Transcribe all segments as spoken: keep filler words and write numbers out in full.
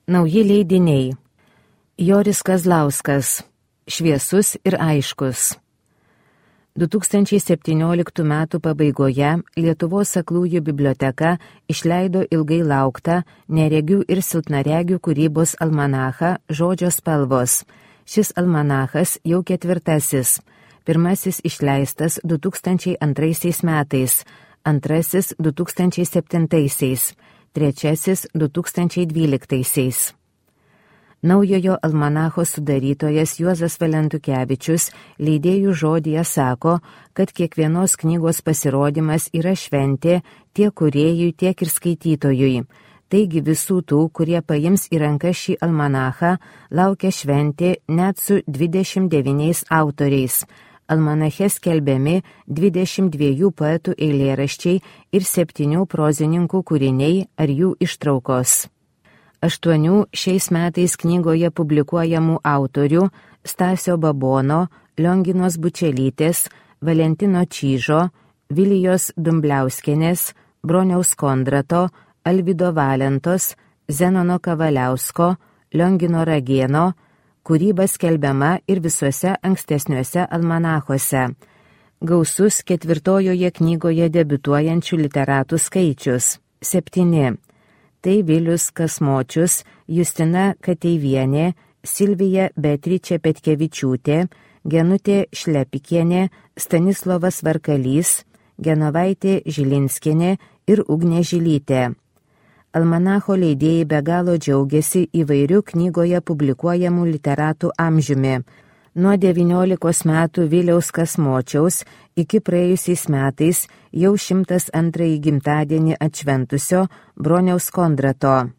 Nauji leidiniai. Joris Kazlauskas. Šviesus ir aiškus. du tūkstančiai septynioliktų metų pabaigoje Lietuvos aklųjų biblioteka išleido ilgai lauktą neregių ir silpnaregių kūrybos almanachą Žodžio spalvos. Šis almanachas jau ketvirtasis. Pirmasis išleistas du tūkstančiai antraisiais metais, antrasis du tūkstančiai septintaisiais, trečiasis du tūkstančiai dvyliktaisiais. Naujojo almanacho sudarytojas Juozas Valentukevičius leidėjų žodyje sako, kad kiekvienos knygos pasirodymas yra šventė tiek kūrėjui, tiek ir skaitytojui. Taigi visų tų, kurie paims į ranką šį almanachą, laukia šventė net su dvidešimt devyniais autoriais. Almanache skelbiami dvidešimt dviejų poetų eilėraščiai ir septynių prozininkų kūriniai ar jų ištraukos. Aštuonių šiais metais knygoje publikuojamų autorių Stasio Babono, Lionginos Bučelytės, Valentino Čyžo, Vilijos Dumbliauskienės, Broniaus Kondrato, Alvydo Valentos, Zenono Kavaliausko, Liongino Ragėno kūryba skelbiama ir visuose ankstesniuose almanachuose. Gausus ketvirtojoje knygoje debiutuojančių literatų skaičius – septyni. Tai Vilius Kasmočius, Justina Kateivienė, Silvija Beatričė Petkevičiūtė, Genutė Šlepikienė, Stanislovas Varkalys, Genovaitė Žilinskienė ir Ugnė Žilytė. Almanacho leidėjai be galo džiaugiasi įvairių knygoje publikuojamų literatų amžiumi. Nuo devyniolikos metų Viliaus Kasmočiaus iki praėjusiais metais jau šimtas antrąjį gimtadienį atšventusio Broniaus Kondrato.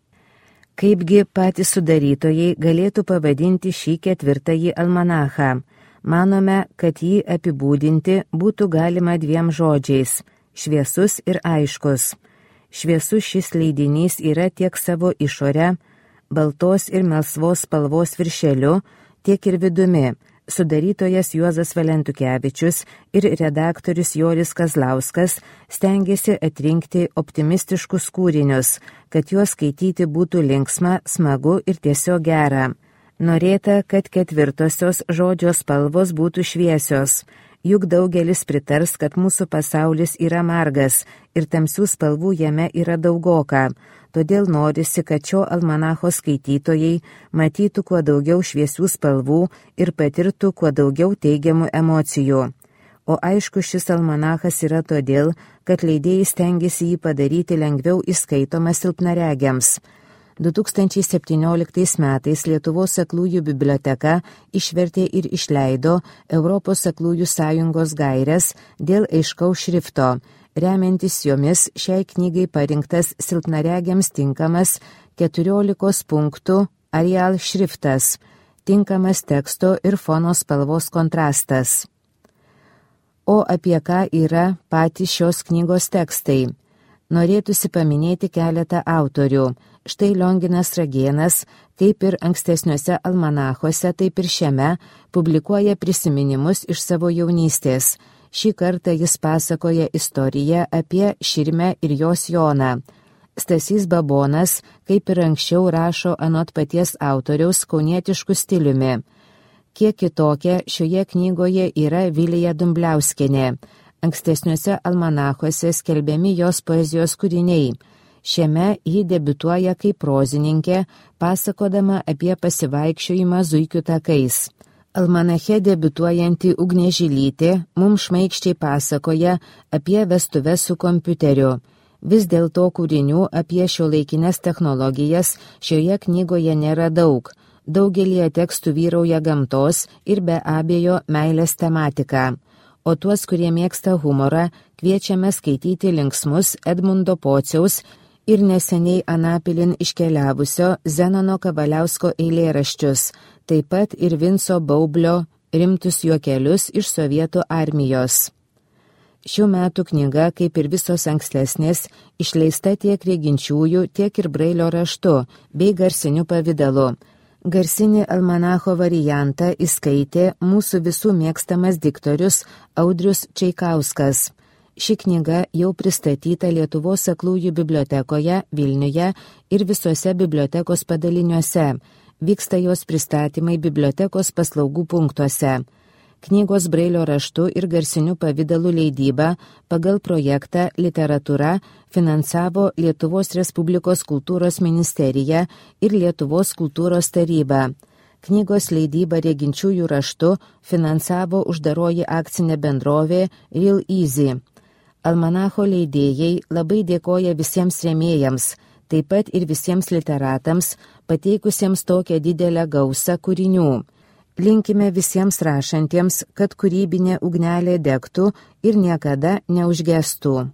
Kaipgi patys sudarytojai galėtų pavadinti šį ketvirtąjį almanachą? Manome, kad jį apibūdinti būtų galima dviem žodžiais – šviesus ir aiškus. Šviesus šis leidinys yra tiek savo išorę, baltos ir melsvos spalvos viršeliu, tiek ir vidumi. Sudarytojas Juozas Valentukevičius ir redaktorius Joris Kazlauskas stengiasi atrinkti optimistiškus kūrinius, kad juos skaityti būtų linksma, smagu ir tiesiog gera. Norėta, kad ketvirtosios Žodžio spalvos būtų šviesios. Juk daugelis pritars, kad mūsų pasaulis yra margas ir tamsių spalvų jame yra daugoka. Todėl norisi, kad šio almanacho skaitytojai matytų kuo daugiau šviesių spalvų ir patirtų kuo daugiau teigiamų emocijų. O aišku, šis almanachas yra todėl, kad leidėjai stengiasi jį padaryti lengviau įskaitomą silpnaregiams. du tūkstančiai septynioliktais metais Lietuvos aklųjų biblioteka išvertė ir išleido Europos aklųjų sąjungos gaires dėl aiškaus šrifto. Remiantis jomis šiai knygai parinktas silpnaregiams tinkamas keturiolikos punktų Arial šriftas, tinkamas teksto ir fono spalvos kontrastas. O apie ką yra patys šios knygos tekstai? Norėtųsi paminėti keletą autorių. Štai Lionginas Ragėnas, kaip ir ankstesniuose almanachuose, taip ir šiame, publikuoja prisiminimus iš savo jaunystės. Šį kartą jis pasakoja istoriją apie Širmę ir jos Joną. Stasys Babonas, kaip ir anksčiau, rašo anot paties autoriaus kaunietišku stiliumi. Kiek kitokia šioje knygoje yra Vilija Dumbliauskienė. Ankstesniuose almanachuose skelbiami jos poezijos kūriniai. Šiame ji debiutuoja kaip prozininkė, pasakodama apie pasivaikščiojimą Zuikių takais. Almanache debiutuojanti Ugnė Žilytė mums šmaikščiai pasakoja apie vestuves su kompiuteriu. Vis dėlto kūrinių apie šiuolaikines technologijas šioje knygoje nėra daug. Daugelį tekstų vyrauja gamtos ir be abejo meilės tematika. O tuos, kurie mėgsta humorą, kviečiame skaityti linksmus Edmundo Pociaus ir neseniai Anapilin iškeliavusio Zenono Kavaliausko eilėraščius, taip pat ir Vinco Baublio rimtus juokelius iš Sovietų armijos. Šių metų knyga, kaip ir visos ankstesnės, išleista tiek reginčiųjų, tiek ir brailio raštu bei garsiniu pavidalu. Garsinį almanacho variantą įskaitė mūsų visų mėgstamas diktorius Audrius Čeikauskas. Ši knyga jau pristatyta Lietuvos aklųjų bibliotekoje Vilniuje ir visuose bibliotekos padaliniuose. Vyksta jos pristatymai bibliotekos paslaugų punktuose. Knygos brailio raštu ir garsiniu pavidalu leidybą pagal projektą Literatūra finansavo Lietuvos Respublikos kultūros ministerija ir Lietuvos kultūros taryba. Knygos leidybą reginčiųjų raštu finansavo uždaroji akcinė bendrovė Real Easy. Almanacho leidėjai labai dėkoja visiems rėmėjams, taip pat ir visiems literatams, pateikusiems tokią didelę gausą kūrinių. Linkime visiems rašantiems, kad kūrybinė ugnelė degtų ir niekada neužgestų.